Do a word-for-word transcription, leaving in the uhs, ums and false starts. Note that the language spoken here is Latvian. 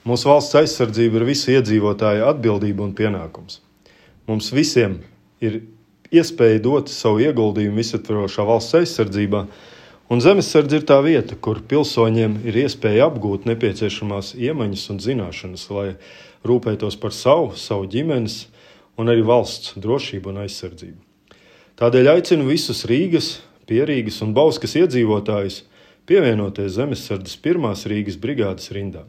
Mūsu valsts aizsardzība ir visu iedzīvotāju atbildība un pienākums. Mums visiem ir iespēja dot savu ieguldījumu visaptvarošā valsts aizsardzībā, un zemesardze ir tā vieta, kur pilsoņiem ir iespēja apgūt nepieciešamās iemaņas un zināšanas, lai rūpētos par savu, savu ģimenes un arī valsts drošību un aizsardzību. Tādēļ aicinu visus Rīgas, Pierīgas un Bauskas iedzīvotājus pievienoties zemesardzes pirmās Rīgas brigādes rindām.